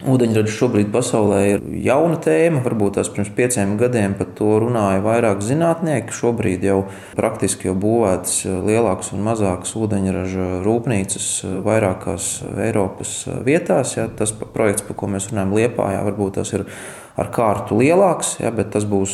Ūdeņradis šobrīd pasaulē ir jauna tēma, varbūt tās pirms 5 gadiem par to runāja vairāk zinātnieki. Šobrīd jau praktiski būvētas lielākas un mazākas ūdeņraža rūpnīcas vairākās Eiropas vietās. Ja, tas projekts, par ko mēs runājam Liepājā, varbūt tas ir ar kārtu lielāks, ja, bet tas būs,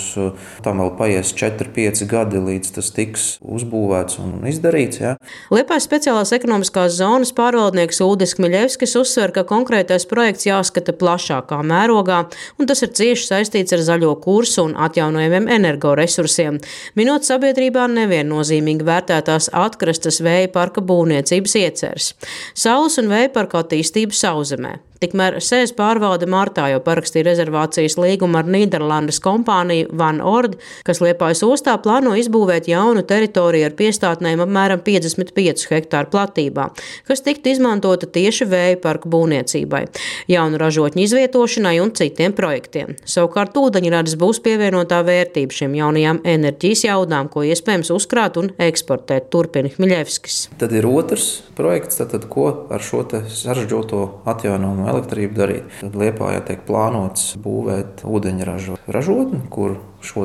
tam vēl paies 4-5 gadi, līdz tas tiks uzbūvēts un izdarīts. Ja. Liepājas speciālās ekonomiskās zonas pārvaldnieks Uldis Kmiļevskis uzsver, ka konkrētais projekts jāskata plašākā mērogā, un tas ir cieši saistīts ar zaļo kursu un atjaunojamiem energoresursiem, minot sabiedrībā neviennozīmīgi vērtētās atkrastes vēja parka būvniecības ieceres. Saules un vēja parka attīstību Sauszemē. Tikmēr SES pārvalde martā jau parakstīja rezervācijas līgumu ar Nīderlandes kompāniju Van Ord, kas Liepājas ostā plāno izbūvēt jaunu teritoriju ar piestātnēm apmēram 55 hektāru platībā, kas tiktu izmantota tieši vēja parku būvniecībai, jaunu ražotņu izvietošanai un citiem projektiem. Savukārt ūdeņradis būs pievienotā vērtība šiem jaunajām enerģijas jaudām, ko iespējams uzkrāt un eksportēt, turpina Kmiļevskis. Tad ir otrs projekts, ko ar šo sarežģīto atjaunojumu elektrību darīt. Tad Liepājā tiek plānots būvēt ūdeņraža ražotni, kur šo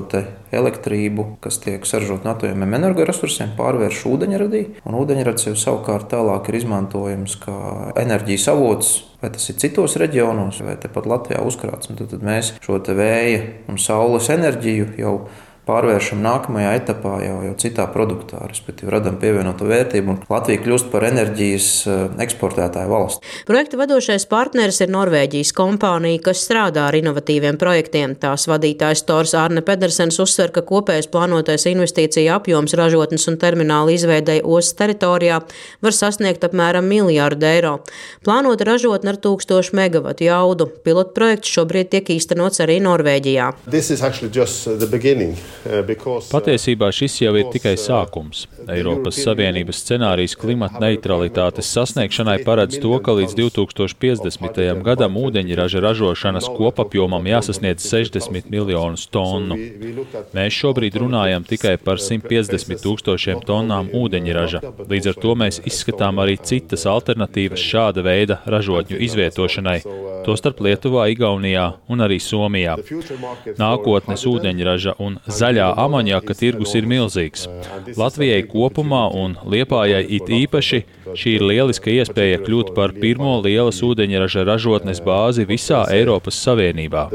elektrību, kas tiek saražota no atjaunojamiem energoresursiem, pārvērš ūdeņradī. Un ūdeņradis jau savukārt tālāk ir izmantojams kā enerģijas avots, vai tas ir citos reģionos, vai tepat Latvijā uzkrāts. Un tad mēs šo vēja un saules enerģiju jau pārvēršam nākamajā etapā jau citā produktā, respektīvi radam pievienoto vērtību, un Latvija kļūst par enerģijas eksportētāju valsti. Projekta vadošais partneris ir Norvēģijas kompānija, kas strādā ar inovatīviem projektiem. Tās vadītājs Tors Arne Pedersens uzsver, ka kopējais plānotais investīcija apjoms ražotnes un termināla izveidei ostas teritorijā var sasniegt apmēram 1 miljārdu eiro. Plānota ražotne ar 1000 megavatu jaudu. Pilotprojekts šobrīd tiek īstenots arī Norvēģijā. Patiesībā šis jau ir tikai sākums. Eiropas Savienības scenārijs klimata neutralitātes sasniegšanai paredz to, ka līdz 2050. gadam ūdeņraža ražošanas kopapjomam jāsasniedz 60 miljonus tonu. Mēs šobrīd runājam tikai par 150 000 tonnām ūdeņraža. Līdz ar to mēs izskatām arī citas alternatīvas šāda veida ražotņu izvietošanai, tostarp Lietuvā, Igaunijā un arī Somijā. Nākotnes ūdeņraža un zaļā amoniaka tirgus ir milzīgs. Latvijai kopumā un Liepājai it īpaši šī ir lieliska iespēja kļūt par pirmo lielas ūdeņraža ražotnes bāzi visā Eiropas Savienībā.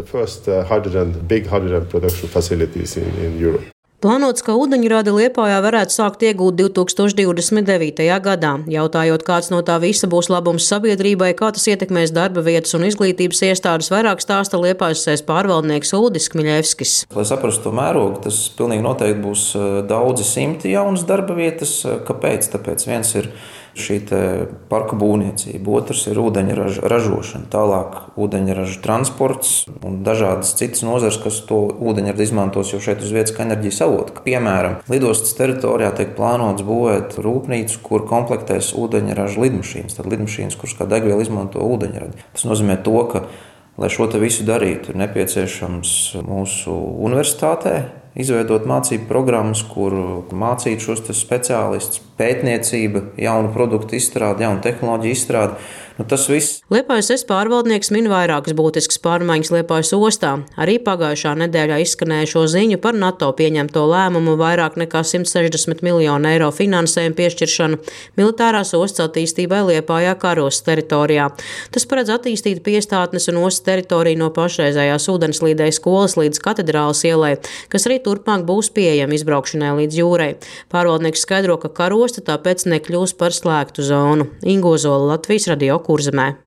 Plānots, ka ūdeņradi Liepājā varētu sākt iegūt 2029. gadā. Jautājot, kāds no tā visa būs labums sabiedrībai, kā tas ietekmēs darba vietas un izglītības iestādes, vairāk stāsta Liepājas SES pārvaldnieks Uldis Kmiļevskis. Lai saprastu to mērogu, tas pilnīgi noteikti būs daudzi simti jaunas darba vietas. Kāpēc? Tāpēc viens ir šī parku būvniecība, otrs ir ūdeņraža ražošana, tālāk ūdeņraža transports un dažādas citas nozares, kas to ūdeņradi izmantos jau šeit uz vietas kā enerģijas avotu. Piemēram, lidostas teritorijā tiek plānots būvēt rūpnīcu, kur komplektēs ūdeņraža lidmašīnas, tad lidmašīnas, kuras kā degvielu izmanto ūdeņradi. Tas nozīmē to, ka, lai šo visu darītu, ir nepieciešams mūsu universitātē izveidot mācību programmas, kur mācīt šos speciālistus, pētniecība, jaunu produktu izstrāde, jaunu tehnoloģiju izstrāde. Tas viss. Liepājas SES pārvaldnieks min vairākas būtiskas pārmaiņas Liepājas ostā. Arī pagājušā nedēļā izskanējušo ziņu par NATO pieņemto lēmumu vairāk nekā 160 miljonu eiro finansējumu piešķiršanu militārās ostas attīstībai Liepājā Karostas teritorijā. Tas paredz attīstīt piestātnes un ostas teritoriju no pašreizējās ūdenslīdējas skolas līdz Katedrāles ielai, kas arī turpmāk būs pieejama izbraukšanai līdz jūrai. Pārvaldnieks skaidro, ka Karosta tāpēc nekļūs par slēgtu zonu. Ingo Zola, Latvijas radio Kurzemē.